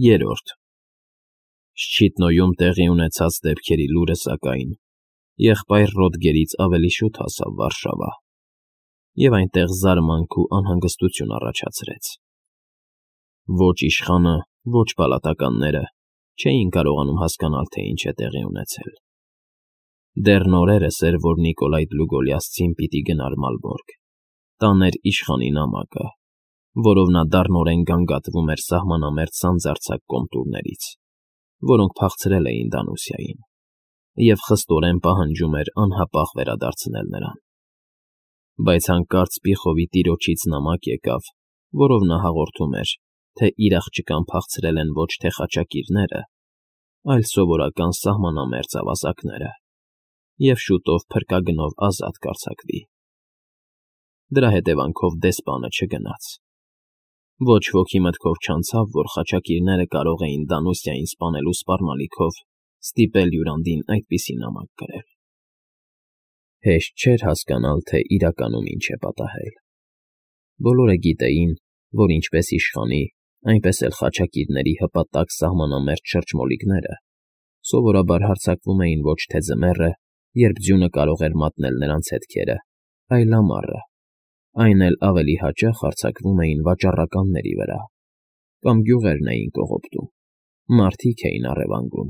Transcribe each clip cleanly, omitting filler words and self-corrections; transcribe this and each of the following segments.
Երրորդ Շչիտնոյում տեղի ունեցած դեպքերի լուրը, սակայն, եղբայր Ռոդգերից ավելի շուտ հասավ Վարշավա, և այնտեղ զարմանք ու անհանգստություն առաջացրեց. ոչ իշխանը, ոչ պալատականները չէին կարողանում հասկանալ, թե ինչ է տեղի ունեցել. դեռ նորերս էր, որ Նիկոլայ Դլուգոլիասցին պիտի գնար Մալբորգ, տաներ իշխանի նամակը, որով նա դառնորեն գանգատվում էր սահմանամերձ սանձարձակ կոմտուրներից, որոնք փախցրել էին Դանուսիային, և խստորեն պահանջում էր անհապաղ վերադարձնել նրան. բայց հանկարծ Պիխովի տիրոջից նամակ եկավ, որով նա հաղորդում էր, թե իր աղջկան փախցրել են ոչ թե խաչակիրները, այլ սովորական սահմանամերձ ավազակները, և շուտով փրկագնով ազատ կարձակվի։ Դրա հետևանքով դեսպանը չգնաց. ոչ ոքի մտքով չանցավ, որ խաչակիրները կարող էին Դանուսիային սպանելու սպառնալիքով ստիպել Յուրանդին այդպիսի նամակ գրել։ Հեշտ չէր հասկանալ, թե իրականում ինչ է պատահել։ Բոլորը գիտեին, որ ինչպես իշխանի, այնպես էլ խաչակիրների հպատակ սահմանամերձ շրջմոլիկները սովորաբար հարձակվում էին ոչ թե ձմեռը, երբ ձյունը կարող էր մատնել նրանց հետքերը, այլ ամառը, այն էլ ավելի հաճախ հարձակվում էին վաճառականների վրա, կամ գյուղերն էին կողոպտում, մարդիկ էին առևանգում,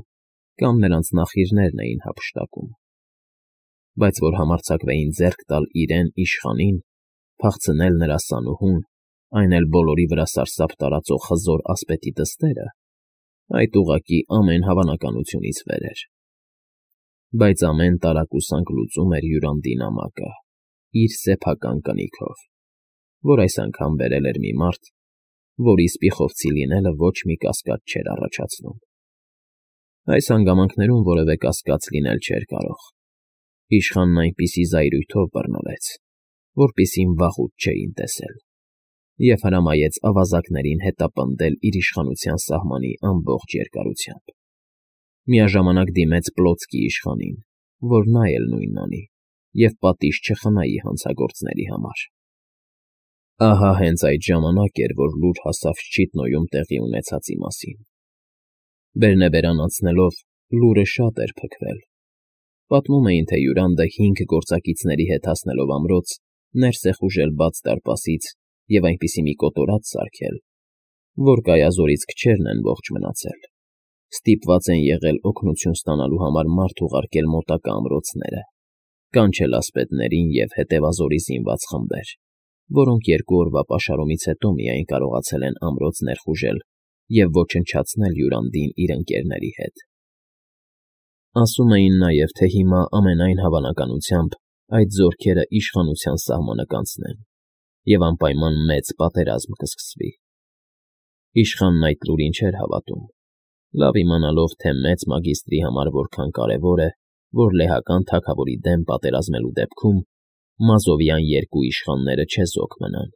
կամ նրանց նախիրներն էին հափշտակում։ Բայց որ համարձակվեին ձեռք տալ իրեն իշխանին, փախցնել նրա սանուհուն, այն էլ բոլորի վրա սարսափ տարածող հզոր ասպետի դստերը, այդ ուղղակի ամեն հավանականությունից վեր էր։ Բայց ամեն տարակուսանք լուծում էր Յուրանդի նամակը, իր սեփական կնիքով, որ այս անգամ բերել էր մի մարդ, որի սպիխովցի լինելը ոչ մի կասկած չէր առաջացնում։ Այս հանգամանքներում որևէ կասկած լինել չէր կարող։ Իշխանն այնպիսի զայրույթով բռնվեց, որպիսին վաղուց չէին տեսել, և հրամայեց ավազակներին հետապնդել իր իշխանության սահմանի ամբողջ երկարությամբ։ Միաժամանակ դիմեց Պլոցկի իշխանին, որ նա էլ նույնն անի, և պատիժ չխնայի հանցագործների համար։ Ահա հենց այդ ժամանակ էր, որ լուր հասավ Շչիտնոյում տեղի ունեցածի մասին։ Բերնեբերան անցնելով լուրը շատ էր փքվել։ Պատմում էին, թե Յուրանդը 5 գործակիցների հետ հասնելով ամրոց, ներս է խուժել բաց դարպասից և այնպիսի մի կոտորած սարքել, որ կայազորից քչերն են ողջ մնացել, ստիպված են եղել օգնություն ստանալու համար մարդ ուղարկել մոտակա ամրոցները, կանչել ասպետներին և հետևազորի զինված խմբեր, որոնք 2 օրվա պաշարումից հետո միայն կարողացել են ամրոց ներխուժել և ոչնչացնել Յուրանդին իր ընկերների հետ։ Ասում էին նաև, թե հիմա ամենայն հավանականությամբ այդ զորքերը իշխանության սահմանը կանցնեն, և անպայման մեծ պատերազմ կսկսվի։ Իշխանն այդ լուրին չէր հավատում, լավ իմանալով, թե մեծ մագիստրի համար որքան կարևոր է, որ լեհական թագավորի դեմ պատերազմելու դեպքում Մազովյան 2 իշխանները չեզոք մնան,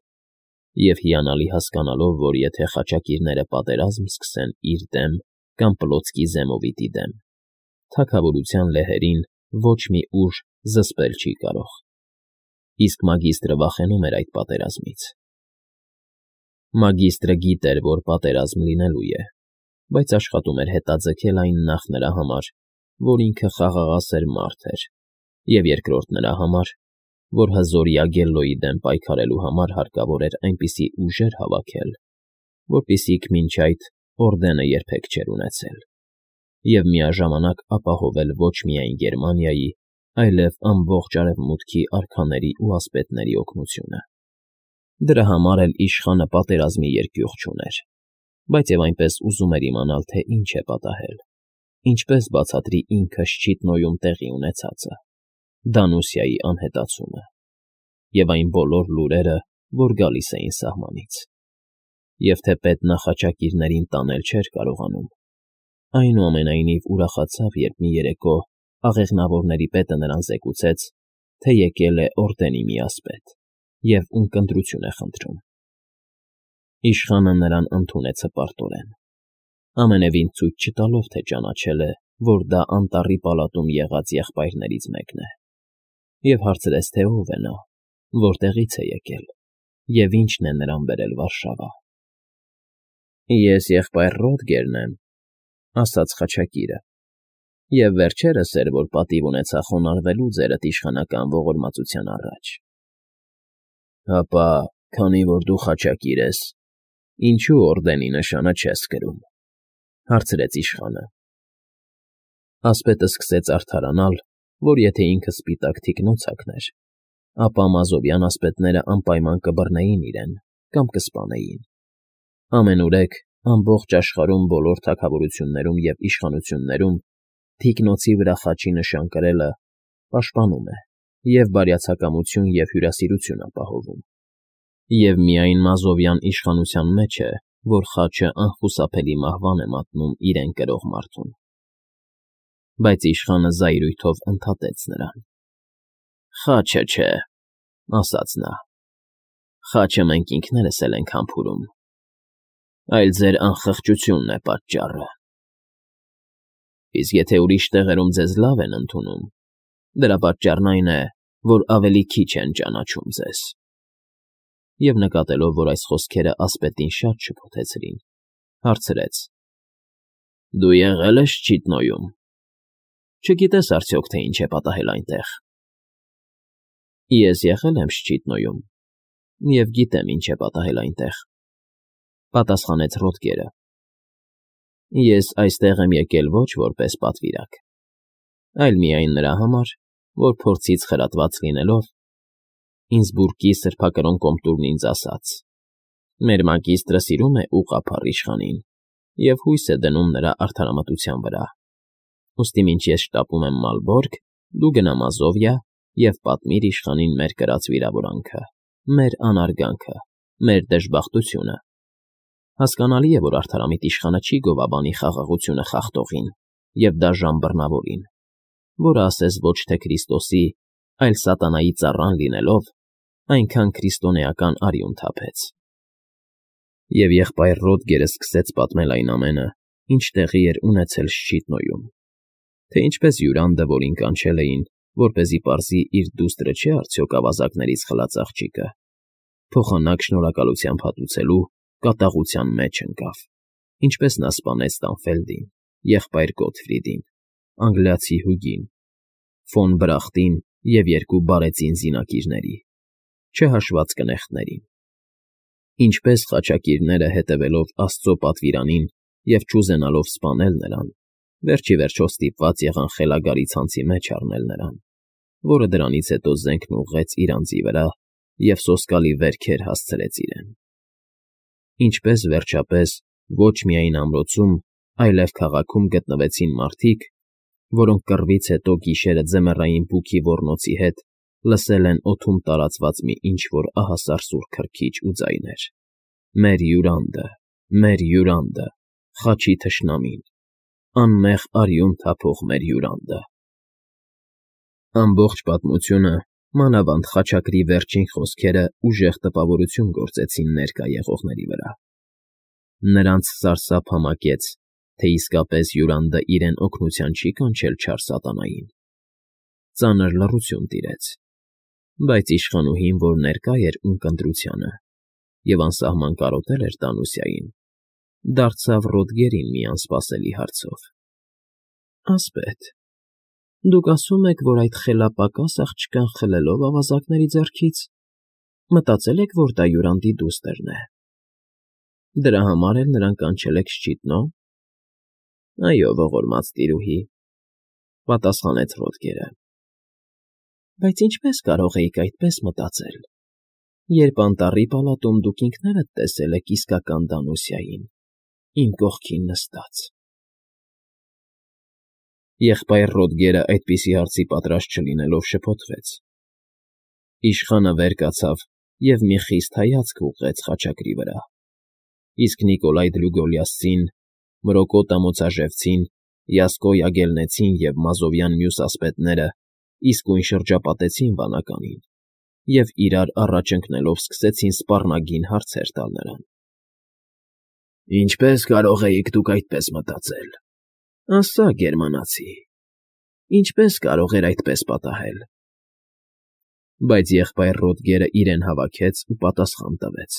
և հիանալի հասկանալով, որ եթե խաչակիրները պատերազմ սկսեն իր դեմ կամ Պլոցկի Զեմովիտի դեմ, թագավորության լեհերին ոչ մի ուժ զսպել չի կարող։ Իսկ մագիստրը վախենում էր այդ պատերազմից։ Մագիստրը գիտեր, որ պատերազմ լինելու է, բայց աշխատում էր հետաձգել այն նախ նրա համար, որ ինքը խաղաղասեր մարդ էր, և երկրորդ նրա համար, որ հզոր Յագելլոյի դեմ պայքարելու համար հարկավոր էր այնպիսի ուժեր հավաքել, որպիսիք մինչ այդ Օրդենը երբեք չէր ունեցել, և միաժամանակ ապահովել ոչ միայն Գերմանիայի, այլև ամբողջ Արևմուտքի արքաների ու ասպետների օգնությունը։ Դրա համար էլ իշխանը պատերազմի երկյուղ չուներ, բայց և այնպես ուզում էր իմանալ, թե ինչ է պատահել, ինչպես բացատրի ինքը Շչիտնոյում տեղի ունեցածը, Դանուսիայի անհետացումը և այն բոլոր լուրերը, որ գալիս էին սահմանից։ Եվ թեպետ նա խաչակիրներին տանել չէր կարողանում, այնուամենայնիվ ուրախացավ, երբ մի երեկո աղեղնավորների պետը նրան զեկուցեց, թե եկել է Օրդենի մի ասպետ և ունկնդրություն է խնդրում։ Իշխանը նրան ընդունեց հպարտորեն, ամենևին ցույց չտալով, թե ճանաչել է, որ դա անտառի պալատում եղած եղբայրներից մեկն է, և հարցրեց, թե ով է նա, որտեղից է եկել և ինչն է նրան բերել Վարշավա։ Ես եղբայր Ռոդգերն եմ, ասաց խաչակիրը, և վերջերս էր, որ պատիվ ունեցա խոնարհվելու ձերդ իշխանական ողորմածության առաջ։ Հապա, քանի որ դու խաչակիր ես, ինչո՞ւ օրդենի նշանը չես կրում,֊ հարցրեց իշխանը։ Ասպետը սկսեց արդարանալ, որ եթե ինքը սպիտակ թիկնոցակն էր, ապա մազովյան ասպետները անպայման կբռնեին իրեն կամ կսպանեին։ Ամենուրեք ամբողջ աշխարհում բոլոր թագավորություններում և իշխանություններում թիկնոցի վրա խաչի նշան կրելը պաշտպանում է և բարյացակամություն և հյուրասիրություն ապահովում։ Եվ միայն մազովյան իշխանության մեջ է, որ խաչը անխուսափելի մահվան է մատնում իրեն կրող մարդուն։ Բայց իշխանը զայրույթով ընդհատեց նրան։ Խաչը չէ, ասաց նա, խաչը մենք ինքներս էլ ենք համբուրում, այլ ձեր անխղճությունն է պատճառը։ Իսկ եթե ուրիշ տեղերում ձեզ լավ են ընդունում, դրա պատճառն այն է, որ ավելի քիչ են ճանաչում ձեզ։ Եվ նկատելով, որ այս խոսքերը ասպետին շատ շփոթեցրին, հարցրեց. Դու եղել ես Չիտնոյում։ Չգիտես արդյոք, թե ինչ է պատահել այնտեղ։ Ես եղել եմ Շչիտնոյում և գիտեմ ինչ է պատահել այնտեղ,֊ պատասխանեց Ռոդգերը։ Ես այստեղ եմ եկել ոչ որպես պատվիրակ, այլ միայն նրա համար, որ փորձից խրատված լինելով, Ինսբուրգի սրբակրոն կոմտուրն ինձ ասաց. մեր մագիստրը սիրում է ուղղափառ իշխանին և հույս է դնում նրա արդարամտության վրա։ Ուստի մինչ ես շտապում եմ Մալբորգ, դու գնա Մազովիա և պատմիր իշխանին մեր կրած վիրավորանքը, մեր անարգանքը, մեր դժբախտությունը։ Հասկանալի է, որ արդարամիտ իշխանը չի գովաբանի խաղաղությունը խախտողին և դաժան բռնավորին, որը ասես ոչ թե Քրիստոսի, այլ սատանայի ծառան լինելով, այնքան քրիստոնեական արյուն թափեց։ Եվ եղբայր Ռոդգերը սկսեց պատմել այն ամենը, ինչ տեղի էր ունեցել Շչիտնոյում, թե ինչպես Յուրանդը, որին կանչել էին, որպեսզի պարզի իր դուստրը չէ արդյոք ավազակներից խլած աղջիկը, փոխանակ շնորհակալությամբ հատուցելու կատաղության մեջ ընկավ, ինչպես նա սպանեց Տանֆելդին, եղբայր Գոթֆրիդին, անգլիացի Հուգին, ֆոն Բրախտին և երկու բարեծին զինակիրների, չհաշված կնեղտներին։ Ինչպես խաչակիրները, հետևելով Աստծո պատվիրանին և չուզենալով սպանել նրան, վերջիվերջո ստիպված եղան խելագարի ցանցի մեջ առնել նրան, որը դրանից հետո զենքն ուղղեց իր անձի վրա և սոսկալի վերքեր հասցրեց իրեն։ Ինչպես, վերջապես, ոչ միայն ամրոցում, այլև քաղաքում գտնվեցին մարդիկ, որոնք կռվից հետո գիշերը ձմեռային բուքի ոռնոցի հետ լսել են օդում տարածված մի ինչ֊որ ահասար սուր քրքիջ ու ձայներ. «Մեր Յուրանդը, մեր Յուրանդը, խաչի թշնամին, անմեղ արյուն թափող մեր Յուրանդը»։ Ամբողջ պատմությունը, մանավանդ խաչակրի վերջին խոսքերը ուժեղ տպավորություն գործեցին ներկա եղողների վրա։ Նրանց սարսափ համակեց, թե իսկապես Յուրանդը իրեն օգնության չի կանչել չար սատանային։ Ծանր լռություն տիրեց, բայց իշխանուհին, որ ներկա էր ունկնդրությանը և անսահման կարոտել էր Տանուսիային, դարձավ Ռոդգերին մի անսպասելի հարցով. Ասպետ, դուք ասում եք, որ այդ խելապակաս աղջկան խլելով ավազակների ձեռքից, մտածել եք, որ դա Յուրանդի դուստրն է։ Դրա համար էլ նրան կանչել եք Շչիտնո։ Այո, ողորմած տիրուհի, պատասխանեց Ռոդգերը։ Բայց ինչպես կարող էիք այդպես մտածել, երբ անտառի պալատում դուք ինքներդ տեսել եք իսկական Դանուսիային, իմ կողքին նստած։ Եղբայր Ռոդգերը այդպիսի հարցի պատրաստ չլինելով շփոթվեց։ Իշխանը վեր կացավ և մի խիստ հայացք ուղղեց խաչակրի վրա, իսկ Նիկոլայ Դլուգոլիասցին, Մրոկոտ Ամոցաժևցին, Յասկո Յագելնեցին և մազովյան մյուս ասպետները իսկույն շրջապատեցին վանականին և իրար առաջ ընկնելով սկսեցին սպառնագին հարցեր տալ նրան։ Ինչպե՞ս կարող էիք դուք այդպես մտածել, ասա, գերմանացի, ինչպե՞ս կարող էր այդպես պատահել։ Բայց եղբայր Ռոդգերը իրեն հավաքեց ու պատասխան տվեց.